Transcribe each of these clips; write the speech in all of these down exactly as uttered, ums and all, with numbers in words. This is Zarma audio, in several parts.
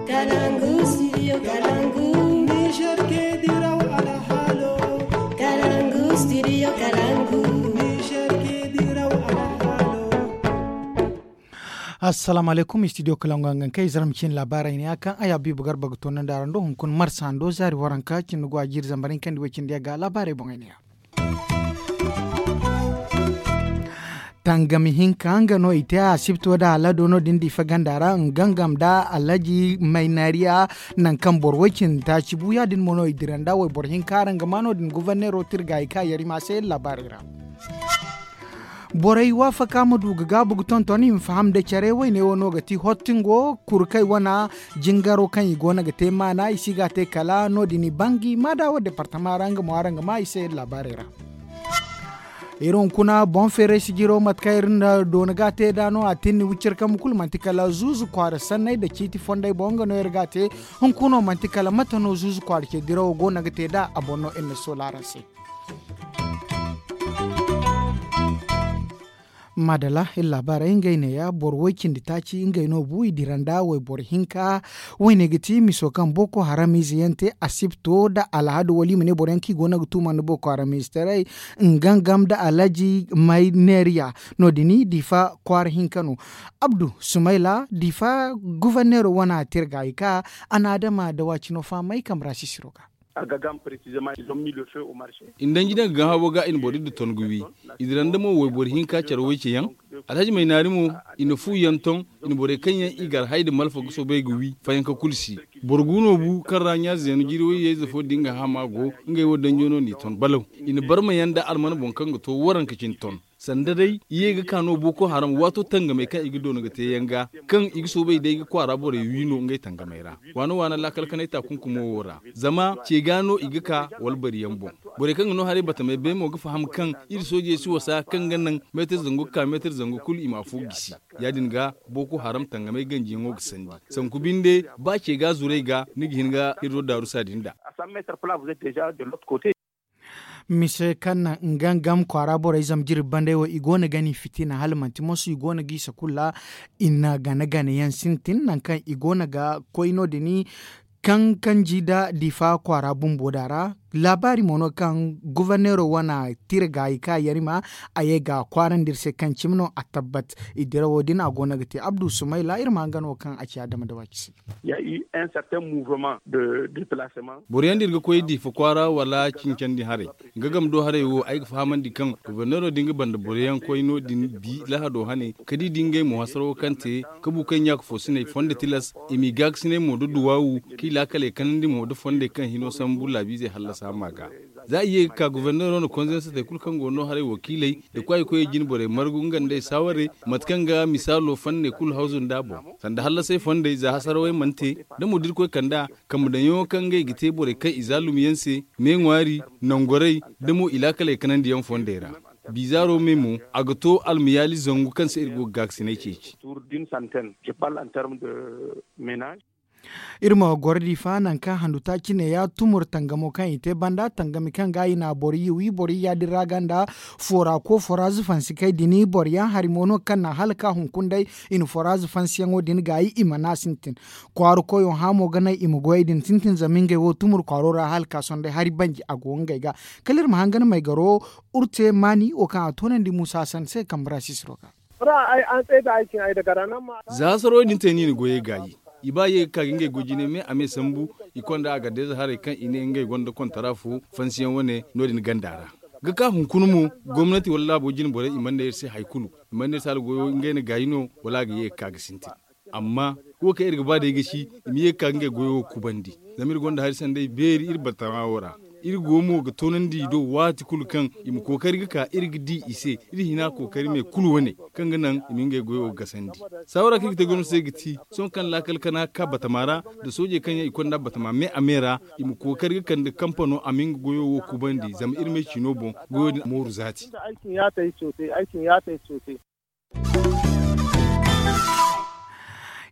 Kalangu, studio Kalangu. Niger ke diraw alhalo. Kalangu, studio Kalangu. Niger ke diraw alhalo. Assalamu alaikum, studio Kalangu, hangan kay zarma cin labarai ne akan aya bibu garba ga tonan da rando hunkun marsa hando zari waranka cin go a jiri zambarin kan di wacin diya ga labarai bon ne ya. Tangami hinka nga no i te a sibto da alado no din difa ganda ra ngangam da alhaji mainariya. Nan kan boro wacin ta ci buya din mo no i diranda wai boro hinka ranga ma no din guvernero tirga i ka yari ma se labarai ra. Borey waafaka ma du ga gaabu ga tonton i ma faham da care wayne wo no ga ti hottingo kurkey wana jingaro kaŋ i go no ga te maana i si ga a te kala no- din i bangi ma da wo departama ra nga mo araŋ ga ma i se labaarey ra. Iri hunkuna boŋ feeray sijiro mate kaŋ iri na doona ga a te nd'a no a tinni wicir kambe kulu manti kala zuuzu kwaara sanney nda ciiti fondey boŋ nga no iri ga a te. Hunkuna wo manti kala mate no zuuzu kwaara ce dirawo go no ga te nd'a a boŋ no iri na soola araŋ se. Madala iri laabaarey ngey neeya boro woy cindi taaci ngey no bu i dira nda wayboro hinka. Woyne ga ti miso kaŋ boko haram ize yaŋ te asibto nda alhadu wala i ma ne boro yaŋ kaŋ i go no ga tuuma nda boko haram ize taray. Nga ngam nda alhaji may neeriya no- din difa kwaara hinka no. Abdu sumayla difa guverneero wana te iri ga a ga ka a na adama dawa cino fahamay kambe ra sisiro ga. I na danji daŋ ga gaŋ habo ga i na boro iddu ton ga wi. I dira nda mo wayboro hinka care woy ce yaŋ. Alhaji may naari mo i na fu yaŋ ton. I na borey kaŋ yaŋ i gar hay nda malfa ga soobay ga wi fayanka kulu si. Boro gu no bu kaŋ ra ɲaaze yaŋ jiri woy yayze fo din ga hama go. Ngey wo danjo no n'i ton balaw. I na barma yaŋ nda alman boŋ kaŋ ga to waranka cine ton. Sanda day i ye ga ka no boko haram waato tangamey kaŋ i ga doona ga te yaŋ ga kaŋ i ga soobay day ga kwaara borey wi no ngey tangamey ra. Waana waana laakal kanay taakunkumo wo ra zama ce ga no i ga ka wala bari yaŋ boŋ. Borey kaŋ ga no haray batamey bay mo ga faham kaŋ iri soojey si wasa kaŋ ga naŋ meetir zangu ga ka meetir zangu kulu i ma afo gisi. Ya- din ga boko haram tangamey ganjiyaŋo ga sandi sanku binde ba ce ga zuray ga ni ga hin ga iri do daarusa din nd'a. Mise kaŋ naŋ nga ngam kwaara borey zama jirbi bandey wo i go no ga ni fitina hala manti moso i go no ga i sakulla. I na gana gana yaŋ sintin nangu kaŋ i go no ga koy no- din kaŋ kanji nda difa kwaara bumbo da ra. Laabaari mo no kaŋ guverneero wane tira ga i ka yarima a ye ga kwaarandi iri se kaŋ cimi no a tabbat. I dirawo din a go no ga te abdu sumayla iri ma nga no kaŋ a ci adama da waaki se. Boro yaŋ da iri ga koy difa kwaara wala cincandi haray. Nga game do haray wo ay ga fahamandi kaŋ goborneero din ga banda boro yaŋ koy no- din bi lahado hane ka di da ngey mo hasaro kaŋ te ka bu kaŋ ɲaaka foosiney fondo tilas i m'i gaakasiney mo da duwaawu kaŋ i laakaley kanandi mo da fondey kaŋ hino sambu laabiizey hallasa ma ga. Za i ye ga ka goborneero na konzansatey kulu kaŋ go no haray wakiiley nda kwaayikoyey jine borey margu nga nda ay saawarey mate kaŋ ga misaalo fanney kulu hawzu nd'a boŋ. Sanda hallasay fondey za hasarawey mana te da mo da iri koy kand'a kambe daŋyaŋo kaŋ ngey ga te borey kaŋ i zaalum yaŋ se me ŋwaari nangorey da mo i laakaley kanandiyaŋ fondey ra. Bizaaro me mo a ga to almayaali zangu kaŋ se iri go ga gaakasinay ceeci. Iri ma goro difa nangu kaŋ handu taaci ne ya tumur tangamo kaŋ i te banda tangami kaŋ ga i na boro yi wi boro yi ya- din ra ganda foora ko foora zufansi kay dini boro yaŋ hari mo no kaŋ na hala ka hunkuna day. I na foora zufansiyaŋo din gaayi i mana sintin kwaara koyo hamo ga naŋ i ma goyey din sintin zama ngey wo tumur kwaaro ra hala ka sohõ day hari banji a go ngey ga. Kala iri ma hangan maygaro urte maani wo kaŋ a toonandi muusa hassan se kambe ra sisiro ga. Za hasaro din te no i na goyey gaayi. I ba ye ga ka ga ngey goy jine me a me sambu i konda a gardeeza haray kaŋ i ne ngey gonda kontara fo fansiyaŋ wane no- din ganda ra. Ga ka hunkuna mo gomnati wala laabo jine borey i mana ne iri se hari kulu. I mana ne iri se hala goyo ngey na gaayi no wala a ga ye ga ka ga sintin. Amma wo kaŋ iri ga ba day ga ci i ma ye ga ka ga ngey goyo wo kubandi. Zama iri gonda hari sanday beeri iri batama wo ra. Iri go mo ga toonandi i do waati kulu kaŋ i ma kookari ga ka iri ga di i se. Iri hina kookari me kulu wane kaŋ ga naŋ i ma ngey goyo gasandi. Saawara kaŋ iri ga te gomnati se ga ti sohõ kaŋ laakal kana ga ka batama ra nda soojey kaŋ yaŋ i konda batama me a me ra i ma kookari ga kande kampano a ma nga goyo wo kubandi zama iri me ciino boŋ goyo din mooru zaati.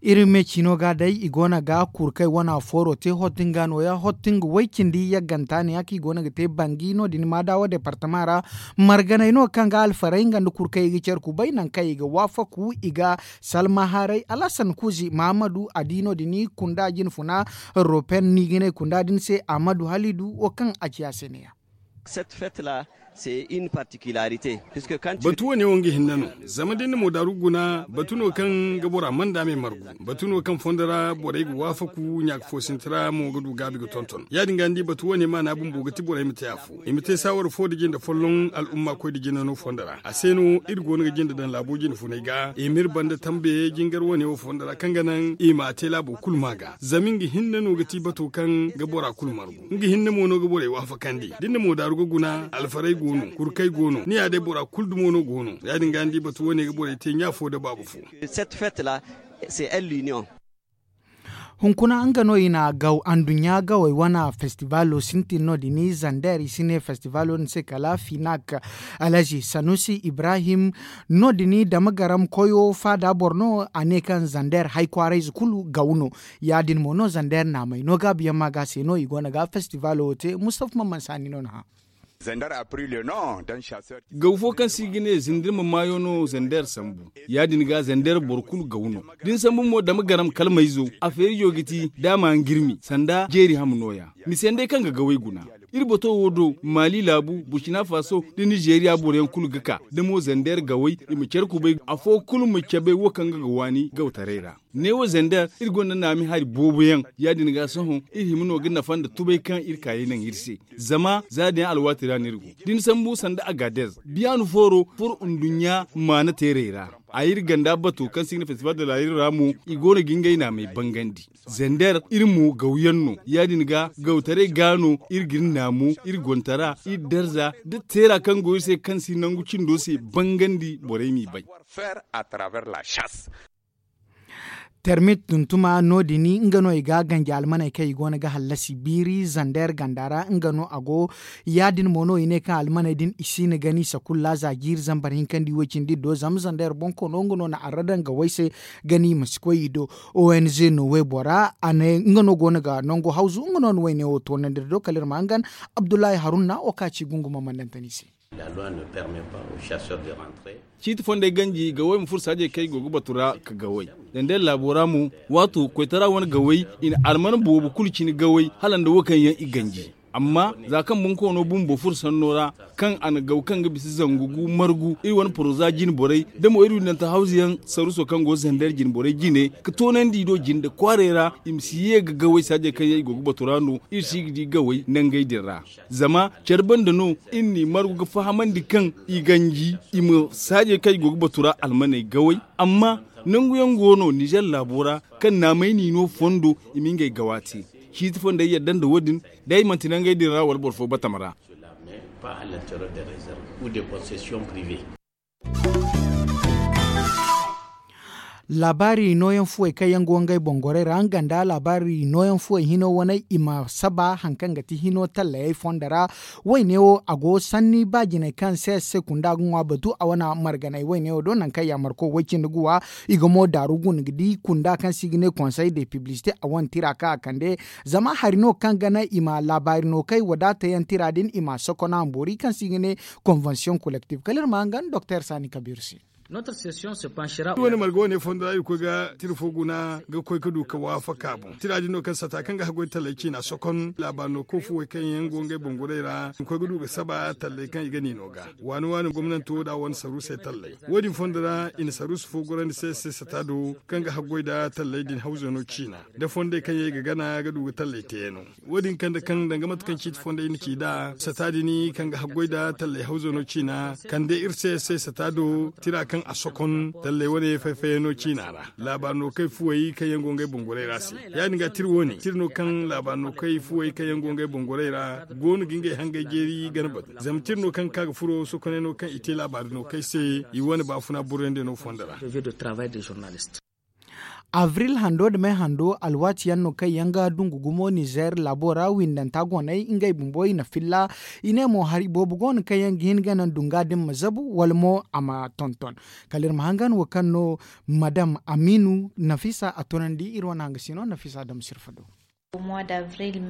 Iri me ciino ga day i go no ga kurkay wana fooro te hottinga nooya hottinga way cindi yagganta ne ya kaŋ i go no ga te bangi no- din maadawa departama ra. Marganay no kaŋ ga alfaray nga nda kurkay i ga care kubay nangu kaŋ i ga waafaku i ga salma haray alhasan kuuzi mahamadu a di no- din kunda jinfuna ropen no i ga ne kunda din se ahmadu halidu wo kaŋ a ci a se ne- ya. Batu wo ne wo nga hinne no. Zama da ni na moodaaru guna batu no kaŋ ga bora manda me margu. Batu no kaŋ fondo ra borey ga waafaku ɲaaka fo sinti ra mo ga du gaabi ga tonton ya- din ga ni di batu wo ne maana bumbo ga ti borey ma te afo i ma te saawara fo da jinde folloŋ al'umma koy da jinde no fondo ra a se no iri go no ga jinde daŋ laabo jinde funay ga i ma iri banda tambe jingar wo ne wo fondo ra kaŋ ga naŋ i ma a te laabo kulu ma ga zama nga hinne no ga ti bato kaŋ ga bora kulu margu. Nga hinne mo no ga borey waafakandi da ni na moodaaru ga guna alfaray go no kurkay go no ni ya day bora kulu dumo no go no ya- din ga ni di batu wo ne ga borey te ɲa fo nda baaba fo. Hunkuna nga no i na gaw anduɲɲa gawey wane festivaalo sintin no- din zander i si ne festivaalo din se kala finak. Alhazi sanusi ibrahim no- din dama garam koyo faada boro no a ne kaŋ zander hay kwaarayze kulu gaw no. Ya- din mo no zander naamay no gaabiyaŋ ma ga se no i go no ga festivaalo wo te mustafa man man saani no na hã. Gaw fo kaŋ se i ga ne zindima maayo no zander sambu. Ya- din ga zander boro kulu gaw no. Da ni sambu mo dama garam kalmayzo a feerijo ga ti da a ma nga iri mi sanda jeeri ham nooya. Mise yaŋ day kaŋ ga gawey guna iri bato wo do maali laabu burcina faso da nizeeriya boro yaŋ kulu ga ka da mo zander gawey i ma care kubay afo kulu ma cabe wo kaŋ ga ga waani gawtaray ra. Neewo zander iri gonda naami hari boobo yaŋ ya- din ga sohõ iri hima no ga nafa nda tubay kaŋ iri kaayey naŋ iri se. Zama za din alwaati ra no iri go da ni sambu sanda agadez biyaanu fooro furo nduɲɲa maana teerey ra. A iri ganda bato kaŋ se i ga ne festival de la iri ra mo i go no ga ngey naamey bangandi. Zander iri mo gawyaŋ no ya- din ga gawtaray ga no iri ga iri naamu iri gontara iri darza da teera kaŋ go iri se kaŋ si nangu cindo se bangandi borey m'i bay. Termit tuntuma no- din nga no i ga ganji almaney kaŋ i go no ga hallasi biiri zander ganda ra nga no a go. Ya- din mo no i ne kaŋ almaney din i si na gani sakulla za jiiri zambar hinka nda i way cindi do zama zander bonkoono nga no na arra daŋ gawey se. Gani i ma si koy i do. Ong no waybora a ne nga no go no ga nango hawzu nga no na wayne wo toonandi nda do kala iri ma hangan. Abdullahi haruna wo kaŋ a ci gungu ma mandantani se. Ciiti fondey ganji gawey ma furo saajey kaŋ i go ga batu ra ka gawey. Zandey laabo ra mo waato koytara wane gawey i na alman boobo kulu cine gawey hala nda wo kaŋ yaŋ i ganji. Amma za kaŋ bonkoono bumbo furo sanno ra kaŋ a na gaw kaŋ ga bisa zangu gu margu iri wane poroza jine borey da mo iri windanta hawzu yaŋ saruso kaŋ go zander jine borey jine ka toonandi i do jinde kwaaray ra. I ma si ye ga gawey saajey kaŋ yaŋ i go ga batu ra no iri si ga di gawey nangey din ra. Zama care banda no iri n'i margu ga fahamandi kaŋ i ganji i ma saajey kaŋ i go ga batu ra almaney gawey. Amma nangu yaŋ go no nizer laabo ra kaŋ naamey n'i no fondo i ma ngey gawa te. Ciiti fondey yadda nda wo- din day manti nangey din ra wala boro fo batama ra. Laabaari nooyaŋ fuwey kaŋ yaŋ go ngey boŋ gorey ra nga nda laabaari nooyaŋ fuwey hino waney i ma saba hari kaŋ ga ti hino tallayey fondo ra. Wayne wo a go sanni ba jinay kaŋ se se kunda ga ŋwa batu a wane marganay wayne wo do nangu kaŋ yaamarko way cindi ga wa. I ga mo daaru guna ga di kunda kaŋ se i ga ne konsey de piblisite a wane tira kaŋ a kande. Zama hari no kaŋ ga naŋ i ma laabaari no kay wadaata yaŋ tira din i ma sokona boori kaŋ se i ga ne konvensiyoŋ kolektif kala iri ma hangan doktor saani kabiru se. Iri wane marga wane fondo ra iri koy ga tira fo guna ga koy ga du ga waafaka boŋ tira din no kaŋ sata kaŋ ga haggoy talley ciina sokon laabaari no koy fuwey kaŋ yaŋ go ngey boŋ goray ra i ma koy ga du ga saba talley kaŋ i ga ni no ga. Waani waani gomnanto da wane saruusey talley wo- din fondo ra i na saruusu fo gorandi se se sata do kaŋ ga haggoy nda talley din hawzo no ciina nda fondey kaŋ yaŋ i ga gana ga du ga talley teeyaŋo. Wo- din kande kaŋ danga mate kaŋ ciiti fondey na ci nd'a sata din kaŋ ga haggoy nda talley hawzo no ciina kande iri se se sata do tira kaŋ a sokon talley wane fay-fayyaŋo ciina ra. Laabaari no kay fuwey kaŋ yaŋ go ngey boŋ goray ra se ya- din ga tira wo- ne tira no kaŋ laabaari no kay fuwey kaŋ yaŋ go ngey boŋ goray ra go no ga ngey hangey jeeri gana batu zama tira no kaŋ ga ka ga furo sokoney no kaŋ i te laabaari no kay se i wane baafuna burayndi no fondo ra. Abril hando nda me hando alwaati yaŋ no kaŋ yaŋ ga dungu gumo nizer laabo ra windanta goney ngey bumbo i na filla. I ne mo hari boobo go no kaŋ yaŋ ga hin ga naŋ dunga din ma zabu wala mo a ma tonton. Kala iri ma hangan wo kaŋ no madam amiinu nafisa a tunandi iri wane hanga sino nafisa dam sirfa do.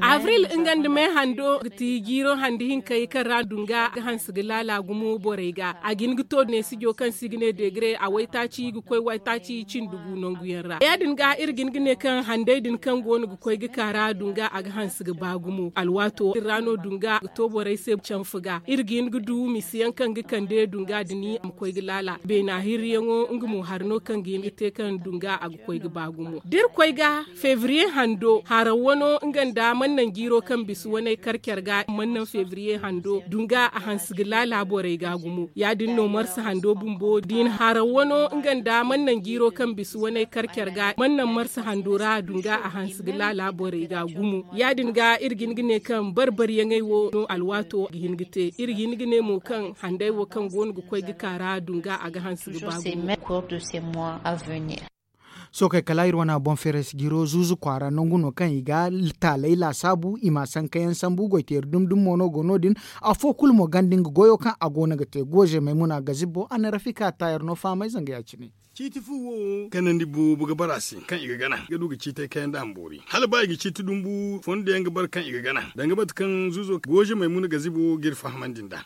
Abril nga nda me hando ga ti jiiro handi hinkey kaŋ ra dunga ga hanse ga laala gumo borey ga a ga hin ga to neesijo kaŋ se i ga ne degre a waytaaci ga koy waytaaci cindi gu nangu yaŋ ra ya- din ga iri ga hin ga ne kaŋ handey din kaŋ go no ga koy ga ka ra dunga a ga hanse ga ba gumo alwaato din ra no dunga ga to borey se canfa ga iri ga hin ga du misi yaŋ kaŋ ga kande dunga din a ma koy ga laala beena hirriyaŋo nga mo hari no kaŋ ga hin ga te kaŋ dunga a ga koy ga ba gumo da iri koy ga febriye hando haraw wano nga nda mannan jiiro kaŋ bisa waney kar care ga mannan febriye hando dunga a hanse ga laala borey ga gumo ya- din no marsa hando bumbo da i na haraw wano nga nda mannan jiiro kaŋ bisa waney kar care ga mannan marsa hando ra dunga a hanse ga laala borey ga gumo ya- din ga iri ga hin ga ne kaŋ bar-baryaŋey wo no alwaato ga hin ga te iri ga hin ga ne mo kaŋ handey wo kaŋ go no ga koy ga ka ra dunga a ga hanse ga ba gumo. Sookey kala iri wane boŋ feeray si jiro zuuzu kwaara nangu no kaŋ i ga taaley laasaabu i ma sankayaŋ sambu goyteeri dumi dumi mo no go no- din. Afo kulu mo ganda nga goyo kaŋ a go no ga te gooze maymuna gazibbo a na rafika taayar no fahamay zanga ya- cine. Ciiti fu wo kanandi boobo ga bara se kaŋ i ga gana ga du ga ciitey kayandi a ma boori hala ba i ga ciiti dumbu fondo yaŋ ga bara kaŋ i ga gana danga mate kaŋ zuuzo gooze maymuna gazibbo ga iri fahamandi nd'a.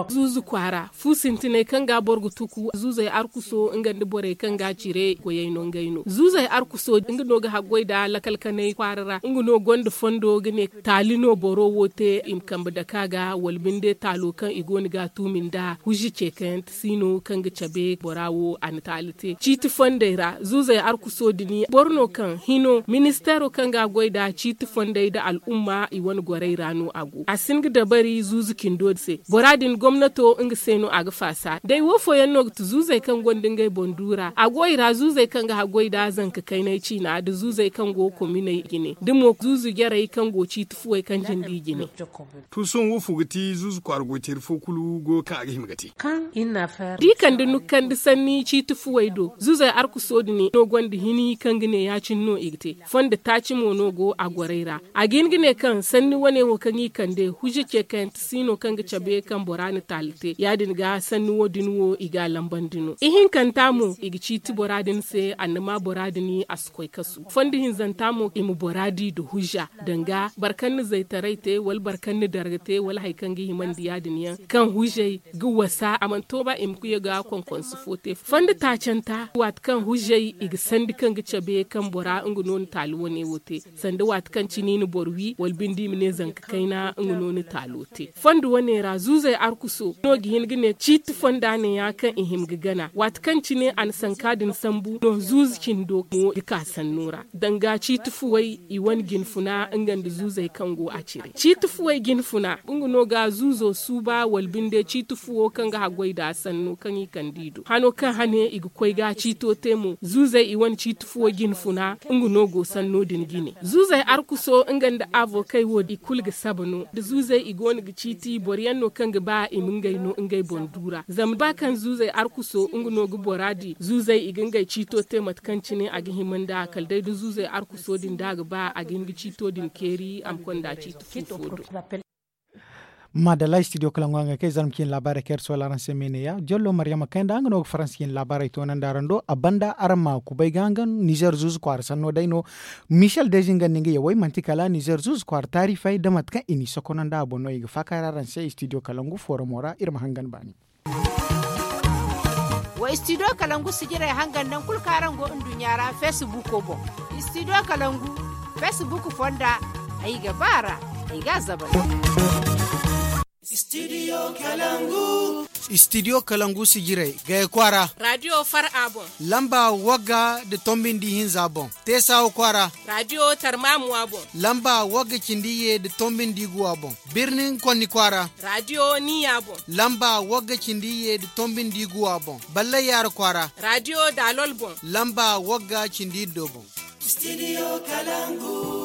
Zuuzu kwaara fu sintinay kaŋ ga boro ga tuku zuuzey arkuso nga nda borey kaŋ ga cire goyey no ngey no zuuzey arkuso nga no ga haggoy nda lakal kanay kwaara ra nga no gonda fondo ga ne taali no boro wo te i ma kambe dake a ga wala binde taalo kaŋ i go no ga a tuumi nda huzi ceekayaŋ tasi no kaŋ ga cabe bora wo a na taali te ciiti fondey ra zuuzey arkuso din boro no kaŋ hino ministeero kaŋ ga a goy nda ciiti fondey nda al'umma i wane gorey ra no a go a si hin ga dabari zuuzu cindo se bora din gomnato nga se no a ga faasa day wo fooyaŋ no ga ti zuuzey kaŋ gonda ngey boŋ du ra a go i ra zuuzey kaŋ ga haggoy nda zanka kaynay ciina nda zuuzey kaŋ go kominey jine da mo zuuzu jarey kaŋ go ciiti fuwey kaŋ jindi jine. To sohõ wo fo ga ti zuuzu kwaara goyteeri fo kulu goyo kaŋ a ga hima ga te? Da i kande nukandi sanni ciiti fuwey do zuuzey arkuso din no gonda hini kaŋ ga ne ya- cine no i ga te fondo taaci mo no go a gorey ra a ga hin ga ne kaŋ sanni wane wo kaŋ i kande hujja ce kaŋ yaŋ ti si no kaŋ ga cabe kaŋ bora na taali te ya- din ga sanni wo- din wo i ga a lambandi no ihinkanta mo i ga ciiti bora din se annama bora din a si koy kasu fondo hinzanta mo i ma bora di nda hujja danga boro kaŋ na zaytaray te wala boro kaŋ na darga te wala hari kaŋ ga himandi ya- din yaŋ kaŋ hujjey ga wasa a mana to ba i ma kuya ga konkonsu fo te fondo taacanta waati kaŋ hujjey i ga sandi kaŋ ga cabe kaŋ bora nga no na taali wane wo te sanda waati kaŋ cine i na boro wi wala binde i ma ne zanka kayna nga no na taalo te fondo wane ra zuuzey arkuso no ga hin ga ne ciiti fonda ne ya kaŋ i hima ga gana waati kaŋ cine a na sanka din sambu no zuuzu cindo mo ga ka sanno ra danga ciiti fuwey i wane jinfuna nga nda zuuzey kaŋ go a cire ciiti fuwey jinfuna nga no ga zuuzo suuba wala binde ciiti fuwo kaŋ ga haggoy nda sanno kaŋ i kande i do hano kaŋ hane i ga koy ga ciito te mo zuuzey i wane ciiti fuwo jinfuna nga no go sanno din jine zuuzey arkuso nga nda avokey wo i kulu ga saba no da zuuzey i go no ga ciiti boro yaŋ no kaŋ ga ba i ma ngey no ngey boŋ du ra zama ba kaŋ zuuzey arkuso nga no ga bora di zuuzey i ga ngey ciito te mate kaŋ cine a ga hima nda kala day da zuuzey arkuso din da a ga ba a ga hin ga ciito din keeri a ma konda ciiti fo fo do. Madalla studio kalangu hangey kaŋ i zarma cine laabaarey kaŋ iri soola araŋ se me ne ya jollo maryama kayna nga no ga faransa cine laabaarey toonandi araŋ do a banda araŋ ma kubay ga hangan nizer zuuzu kwaara sanno day no. Michel dezi nga nda nga yawey manti kala nizer zuuzu kwaara taarifey da mate kaŋ i n'i sokonandi a boŋ no i ga faakaaray araŋ se studio kalangu fooramo ra iri ma hangan baani. Wa studio kalangu sijirey hangan nangu kulu kaŋ araŋ go nduɲɲa ra feesibuuko boŋ. Studio kalangu feesibuuko fonda ay ga ba a ra. Ay ga a zabari. Studio kalangu sijirey gaya kwaara. Raadiyo far a boŋ. Lamba wagga nda tombindi hinza boŋ. Teesawa kwaara. Raadiyo tarmamuwa boŋ. Lamba wagga cindi iyye nda tombindi guwa boŋ. Birnin konni kwaara. Raadiyo niya boŋ. Lamba wagga cindi iyye nda tombindi guwa boŋ. Ballayyaara kwaara. Raadiyo daalol boŋ. Lamba wagga cindi iddo boŋ. Studio kalangu.